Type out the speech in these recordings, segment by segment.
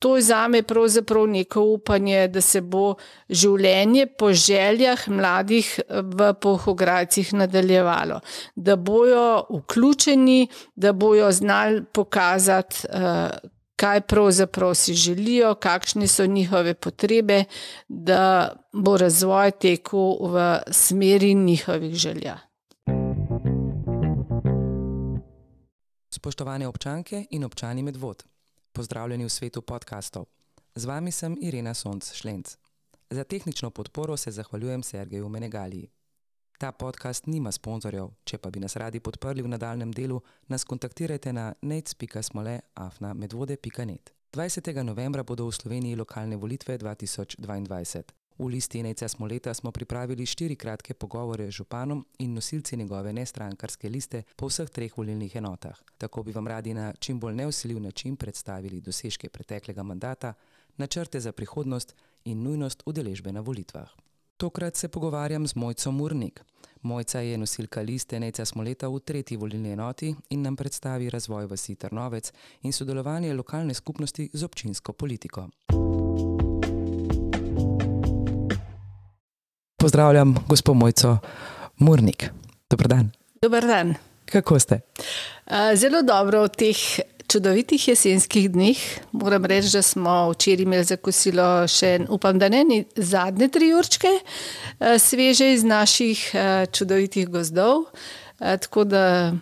to je zame pravzaprav neko upanje, da se bo življenje po željah mladih v Polhograjcih nadaljevalo. Da bojo vključeni, da bojo znali pokazati, kaj pravzaprav si želijo, kakšne so njihove potrebe, da bo razvoj tekel v smeri njihovih želja. Spoštovane občanke in občani Medvod, pozdravljeni v svetu podcastov. Z vami sem Irena Sonc-Šlenc. Za tehnično podporo se zahvaljujem Sergeju Menegaliji. Ta podcast nima sponzorjev, če pa bi nas radi podprli v nadaljnem delu, nas kontaktirajte na nec.smole@medvode.net. 20. novembra bodo v Sloveniji lokalne volitve 2022. V listi Nejca Smoleta smo pripravili 4 kratke pogovore z županom in nosilci njegove nestrankarske liste po vseh 3 volilnih enotah. Tako bi vam radi na čim bolj nevsiljiv način predstavili dosežke preteklega mandata, načrte za prihodnost in nujnost udeležbe na volitvah. Tokrat se pogovarjam z Mojco Murnik. Mojca je nosilka liste Nejca Smoleta v 3. volilni enoti in nam predstavi razvoj vasi Trnovec in sodelovanje lokalne skupnosti z občinsko politiko. Pozdravljam gospo Mojco Murnik. Dober dan. Dober dan. Kako ste? Zelo dobro v teh čudovitih jesenskih dneh. Moram reči, da smo včeraj imeli za kosilo še, upam, da ne zadnje 3 určke sveže iz naših čudovitih gozdov. Tako da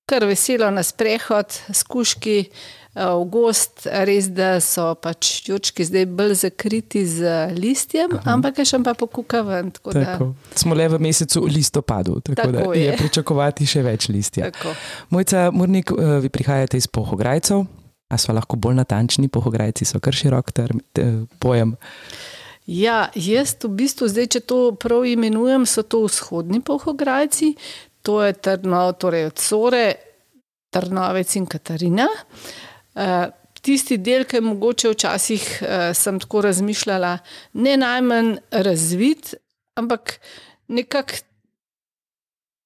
kar veselo na sprehod s kužki v gozd, res da so pač jurčki zdaj bolj zakriti z listjem, ampak je še pa pokuka ven. Tako. Smo le v mesecu listopadu, tako da je pričakovati še več listja. Tako. Mojca Murnik, vi prihajate iz Polhograjcev, a so lahko bolj natančni? Polhograjci so kar širok pojem. Ja, jaz v bistvu zdaj, če to prav imenujem, so to vzhodni Polhograjci, to je torej od Sore, Trnovec in Katarina. Tisti del, ki je mogoče včasih sem tako razmišljala, ne najmanj razvit, ampak nekako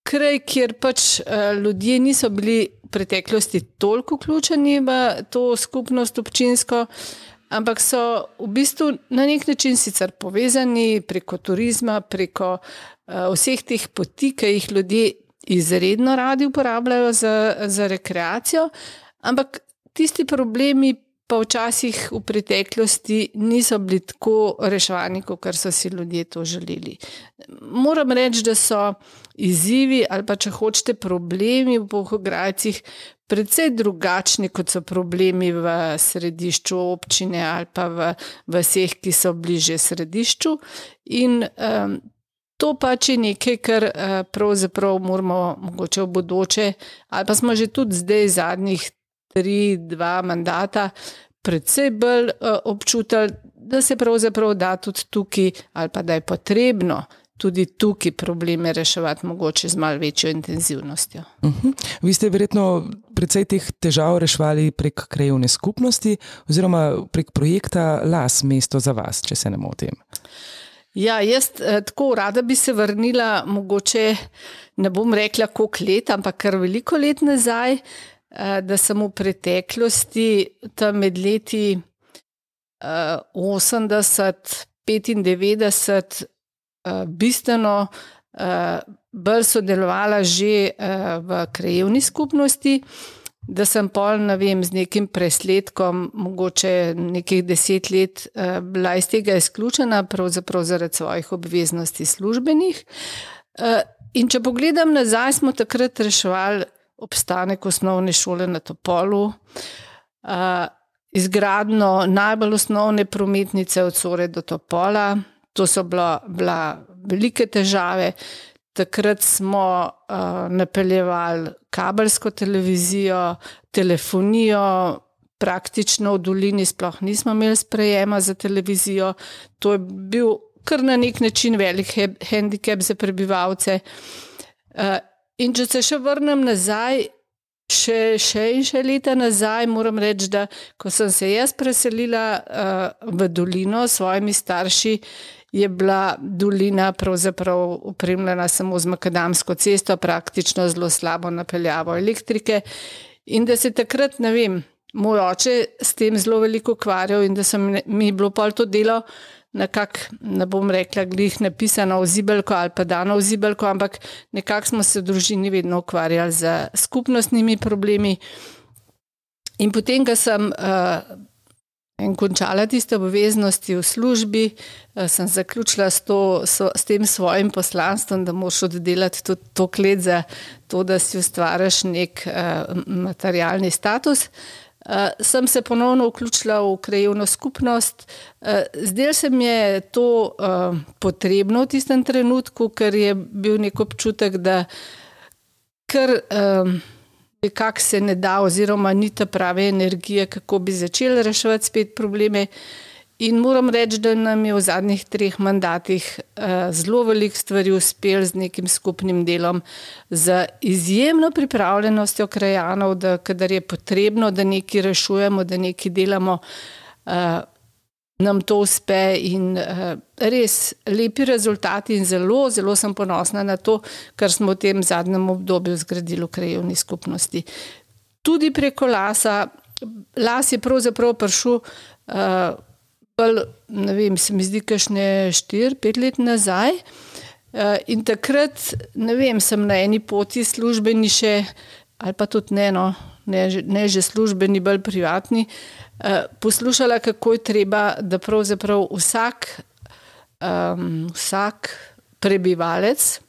kraj, kjer pač ljudje niso bili v preteklosti toliko vključeni v to skupnost občinsko, ampak so v bistvu na nek način sicer povezani preko turizma, preko vseh teh poti, ki jih ljudje izredno radi uporabljajo za rekreacijo, ampak tisti problemi pa včasih v preteklosti niso bili tako reševani, kot so si ljudje to želeli. Moram reči, da so izzivi ali pa če hočete problemi v Polhograjcih precej drugačni, kot so problemi v središču občine ali pa v vseh, ki so bliže središču. In to pač je nekaj, kar pravzaprav moramo mogoče v bodoče, ali pa smo že tudi zdaj zadnjih 3-2 mandata predvsej bolj občutili, da se pravzaprav da tudi tukaj, ali pa da je potrebno tudi tukaj probleme reševati mogoče z malo večjo intenzivnostjo. Vi ste verjetno precej teh težav reševali prek krajevne skupnosti oziroma prek projekta Las, mesto za vas, če se ne motim. Ja, jaz tako rada bi se vrnila, mogoče ne bom rekla koliko let, ampak kar veliko let nazaj, da sem v preteklosti tam med leti 80-95 bistveno bolj sodelovala že v krajevni skupnosti, da sem pol, ne vem, z nekim presledkom, mogoče nekih 10 let bila iz tega izključena, pravzaprav zaradi svojih obveznosti službenih. In če pogledam nazaj, smo takrat reševali obstanek osnovne šole na Topolu, izgradnjo najbolj osnovne prometnice od Sore do Topola. To so bila velike težave. Takrat smo napeljevali kabelsko televizijo, telefonijo, praktično v dolini sploh nismo imeli sprejema za televizijo. To je bil kar na nek način velik hendikep za prebivalce. In če se še vrnem nazaj, še leta nazaj, moram reči, da ko sem se jaz preselila v dolino s svojimi starši, je bila dolina pravzaprav opremljena samo z makadamsko cesto, praktično zelo slabo napeljavo elektrike. In da se takrat, ne vem, moj oče s tem zelo veliko ukvarjal in da mi bilo pol to delo nekako, ne bom rekla, glih napisano v zibelko ali pa dano v zibelko, ampak nekako smo se v družini vedno ukvarjali z skupnostnimi problemi. In potem, ko sem končala tiste obveznosti v službi, sem zaključila s tem svojim poslanstvom, da moraš oddelati tudi toliko let za to, da si ustvariš nek materialni status. Sem se ponovno vključila v krajevno skupnost. Zdelo se mi je to potrebno v tistem trenutku, ker je bil nek občutek, da kar nekako se ne da oziroma ni ta prave energije, kako bi začeli reševati spet probleme. In moram reči, da nam je v zadnjih 3 mandatih zelo veliko stvari uspelo z nekim skupnim delom, z izjemno pripravljenostjo krajanov, da kadar je potrebno, da nekaj rešujemo, da nekaj delamo, nam to uspe in res lepi rezultati in zelo, zelo sem ponosna na to, kar smo v tem zadnjem obdobju zgradili v krajevni skupnosti. Tudi preko lasa. Las je pravzaprav prišel ne vem, se mi zdi kakšne 4-5 let nazaj in takrat, ne vem, sem na eni poti službeni še, ali pa tudi ne že službeni, bolj privatni, poslušala, kako je treba, da pravzaprav vsak prebivalec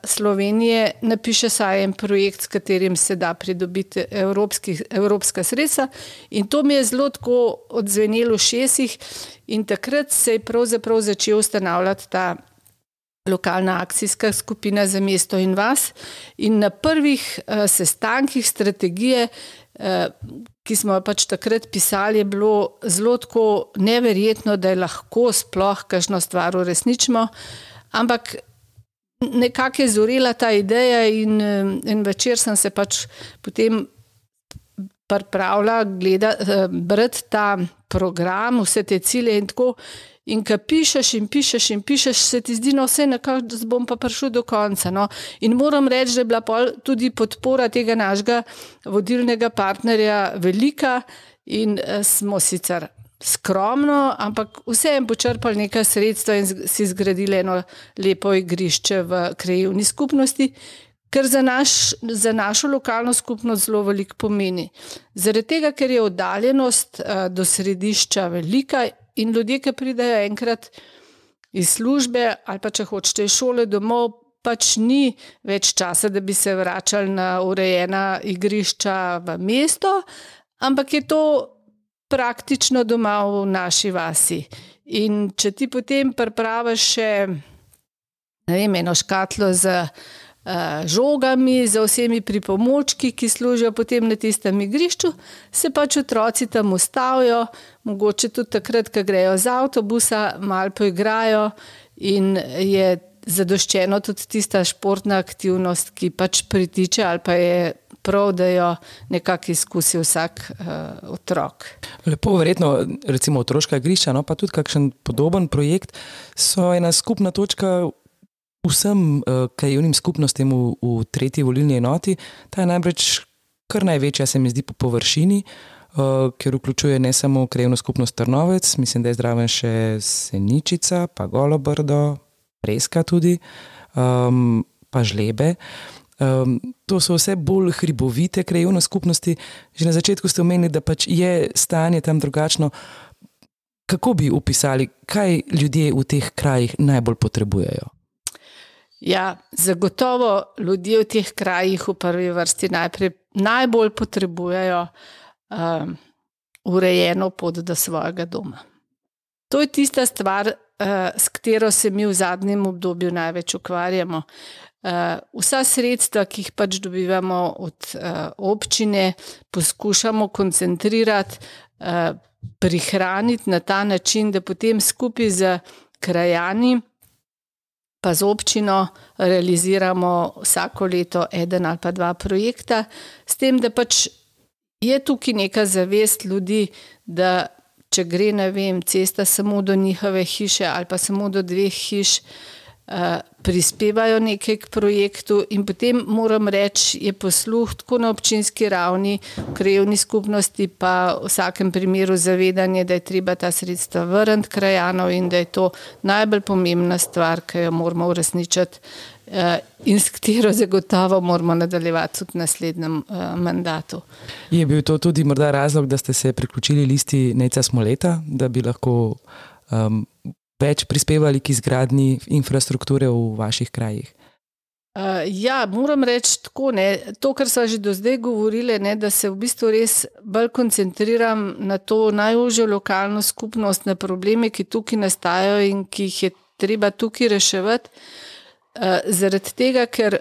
Slovenije napiše saj en projekt, s katerim se da pridobiti evropska sredstva, in to mi je zelo tako odzvenelo v ušesih in takrat se je pravzaprav začel ustanavljati ta lokalna akcijska skupina za mesto in vas in na prvih sestankih strategije, ki smo pač takrat pisali, je bilo zelo tako neverjetno, da je lahko sploh kakšno stvar uresničimo, ampak nekako je zorela ta ideja in večer sem se pač potem pripravila brati ta program, vse te cilje in tako, in ko pišeš in pišeš in pišeš, se ti zdi, vse nekako bom pa prišel do konca. No. In moram reči, da je bila tudi podpora tega našega vodilnega partnerja velika in smo sicer skromno, ampak vseeno počrpali nekaj sredstva in si zgradili eno lepo igrišče v krajevni skupnosti, kar za našo lokalno skupnost zelo veliko pomeni. Zaradi tega, ker je oddaljenost do središča velika in ljudje, ki pridejo enkrat iz službe ali pa če hočete iz šole domov, pač ni več časa, da bi se vračali na urejena igrišča v mesto, ampak je to praktično doma v naši vasi. In če ti potem pripraviš še, ne vem, eno škatlo z žogami, z vsemi pripomočki, ki služijo potem na tistem igrišču, se pač otroci tam ustavijo, mogoče tudi takrat, ko grejo z avtobusa, malo poigrajo in je zadoščeno tudi tista športna aktivnost, ki pač pritiče ali pa je prav, da jo nekako izkusi vsak otrok. Lepo, verjetno, recimo otroška igrišča, no, pa tudi kakšen podoben projekt so ena skupna točka vsem krajevnim skupnostim v 3. volilni enoti. Ta je najbrž kar največja, se mi zdi, po površini, ker vključuje ne samo krajevno skupnost Trnovec, mislim, da je zraven še Seničica, pa Golobrdo, Preska tudi, pa Žlebe. To so vse bolj hribovite krajevne skupnosti. Že na začetku ste omenili, da pač je stanje tam drugačno. Kako bi opisali, kaj ljudje v teh krajih najbolj potrebujejo? Ja, zagotovo ljudje v teh krajih v prvi vrsti najbolj potrebujejo urejeno pot do svojega doma. To je tista stvar, s katero se mi v zadnjem obdobju največ ukvarjamo. Vsa sredstva, ki jih pač dobivamo od občine, poskušamo koncentrirati, prihraniti na ta način, da potem skupaj z krajani pa z občino realiziramo vsako leto 1 ali pa 2 projekta, s tem, da pač je tukaj neka zavest ljudi, da če gre, ne vem, cesta samo do njihove hiše ali pa samo do 2 hiš, prispevajo nekaj k projektu in potem moram reči, je posluh tako na občinski ravni, v krajevni skupnosti pa v vsakem primeru zavedanje, da je treba ta sredstva vrniti krajanov in da je to najbolj pomembna stvar, ki jo moramo uresničiti in s katero zagotovo moramo nadaljevati tudi v naslednjem mandatu. Je bil to tudi morda razlog, da ste se priključili listi Nejca Smoleta, da bi lahko več prispevali k izgradnji infrastrukture v vaših krajih? Ja, moram reči tako, to, kar so že do zdaj govorili, da se v bistvu res bolj koncentriram na to najožjo lokalno skupnost, na probleme, ki tukaj nastajajo in ki jih je treba tukaj reševati. Zaradi tega, ker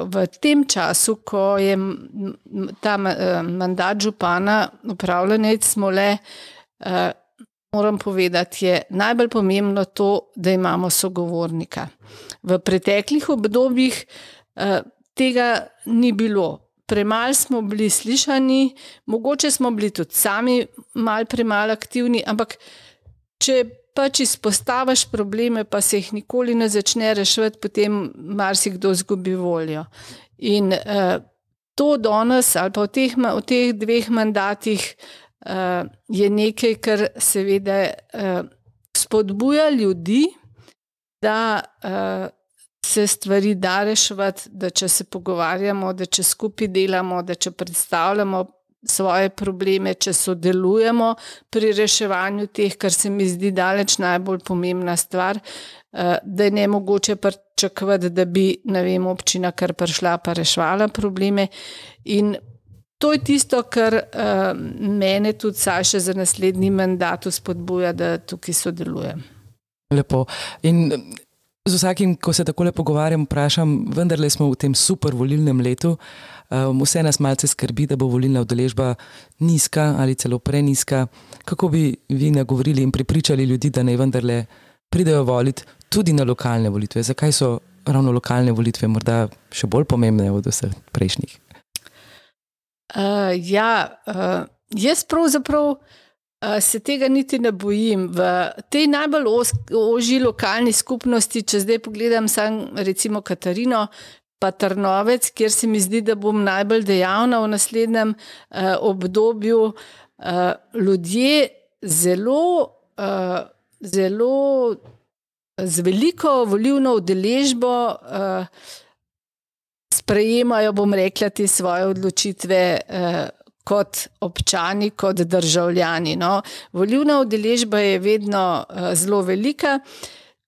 v tem času, ko je ta mandat župana upravlja Nejc Smole, moram povedati, je najbolj pomembno to, da imamo sogovornika. V preteklih obdobjih tega ni bilo. Premalo smo bili slišani, mogoče smo bili tudi sami malo premalo aktivni, ampak če pač izpostaviš probleme, pa se jih nikoli ne začne reševati, potem marsikdo izgubi voljo. In to danes ali pa v teh 2 mandatih je nekaj, kar seveda spodbuja ljudi, da se stvari da reševati, da če se pogovarjamo, da če skupaj delamo, da če predstavljamo svoje probleme, če sodelujemo pri reševanju teh, kar se mi zdi daleč najbolj pomembna stvar, da je nemogoče pričakovati, da bi, občina kar prišla pa reševala probleme. In to je tisto, kar mene tudi še za naslednji mandat spodbuja, da tukaj sodelujem. Lepo. In z vsakim, ko se takole pogovarjam, vprašam, vendarle smo v tem super volilnem letu, vse nas malce skrbi, da bo volilna udeležba nizka ali celo prenizka. Kako bi vi nagovorili in prepričali ljudi, da naj vendarle pridejo voliti tudi na lokalne volitve? Zakaj so ravno lokalne volitve morda še bolj pomembne od vseh prejšnjih? Jaz pravzaprav se tega niti ne bojim. V tej najbolj ožji lokalni skupnosti, če zdaj pogledam sam recimo Katarino pa Trnovec, kjer se mi zdi, da bom najbolj dejavna v naslednjem obdobju, ljudje zelo z veliko volilno udeležbo sprejemajo, bom rekla, te svoje odločitve kot občani, kot državljani. Volilna udeležba je vedno zelo velika,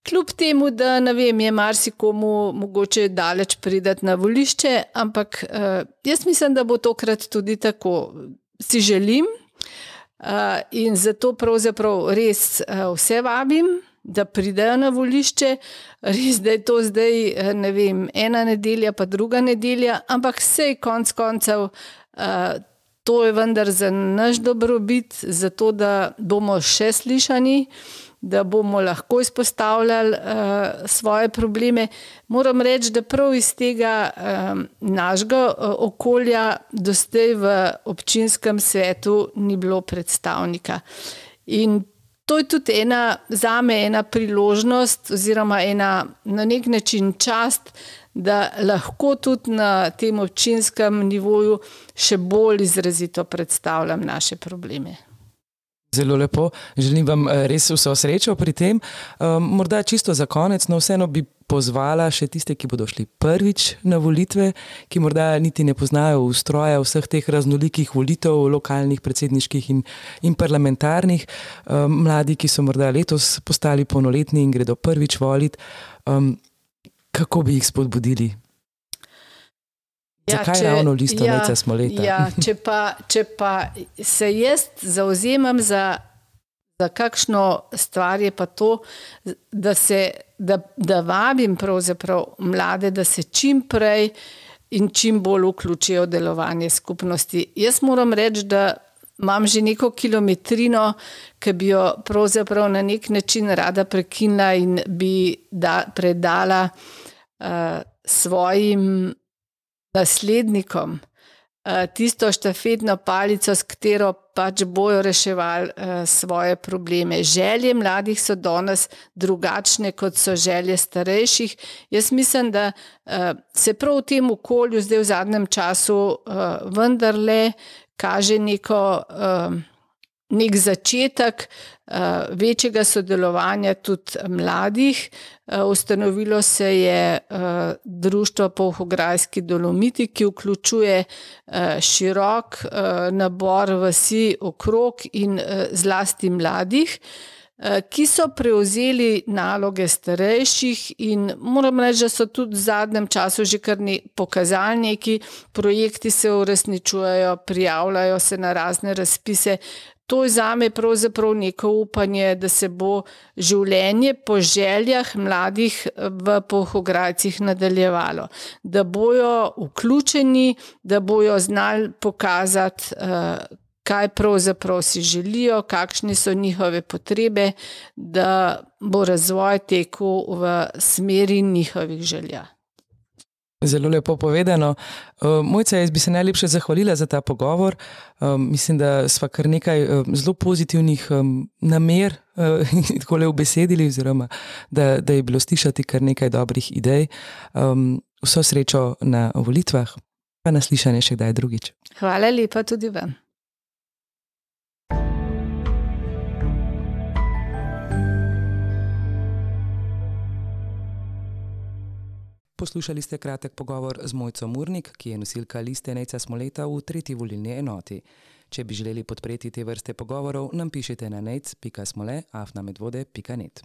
kljub temu, da je marsikomu mogoče daleč priti na volišče, ampak jaz mislim, da bo tokrat tudi tako. Si želim in zato pravzaprav res vse vabim, da pridejo na volišče. Res, da je to zdaj, ena nedelja pa druga nedelja, ampak sej konec koncev to je vendar za naš dobrobit, zato da bomo še slišani, da bomo lahko izpostavljali svoje probleme. Moram reči, da prav iz tega našega okolja do zdaj v občinskem svetu ni bilo predstavnika. In to je tudi zame ena priložnost oziroma na nek način čast, da lahko tudi na tem občinskem nivoju še bolj izrazito predstavljam naše probleme. Zelo lepo. Želim vam res vso srečo pri tem. Morda čisto za konec, no vseeno bi pozvala še tiste, ki bodo šli prvič na volitve, ki morda niti ne poznajo ustroja vseh teh raznolikih volitev, lokalnih, predsedniških in parlamentarnih. Mladi, ki so morda letos postali polnoletni in gredo prvič voliti, kako bi jih spodbudili? Zakaj ravno listo Nejca Smoleta? Če pa se jaz zauzemam za kakšno stvar, je pa to, da vabim pravzaprav mlade, da se čim prej in čim bolj vključijo v delovanje skupnosti. Jaz moram reči, da imam že neko kilometrino, ki bi jo pravzaprav na nek način rada prekinila in bi predala svojim naslednikom. tisto štafetno palico, s katero pač bojo reševali svoje probleme. Želje mladih so danes drugačne, kot so želje starejših. Jaz mislim, da se prav v tem okolju zdaj v zadnjem času vendarle kaže nek začetek večjega sodelovanja tudi mladih. Ustanovilo se je Društvo Polhograjski Dolomiti, ki vključuje širok nabor vasi okrog in zlasti mladih, ki so prevzeli naloge starejših in moram reči, da so tudi v zadnjem času že kar pokazali neki projekti, se uresničujejo, prijavljajo se na razne razpise. To je zame pravzaprav neko upanje, da se bo življenje po željah mladih v Polhograjcih nadaljevalo. Da bojo vključeni, da bojo znali pokazati, kaj pravzaprav si želijo, kakšne so njihove potrebe, da bo razvoj tekel v smeri njihovih želja. Zelo lepo povedano. Mojca, jaz bi se najlepše zahvalila za ta pogovor. Mislim, da sva kar nekaj zelo pozitivnih namer takole ubesedili, oziroma da je bilo slišati kar nekaj dobrih idej. Vso srečo na volitvah, pa na slišanje še kdaj drugič. Hvala lepa tudi vam. Poslušali ste kratek pogovor z Mojco Murnik, ki je nosilka liste Nejca Smoleta v 3. volilni enoti. Če bi želeli podpreti te vrste pogovorov, nam pišite na nejc.smole@medvode.net.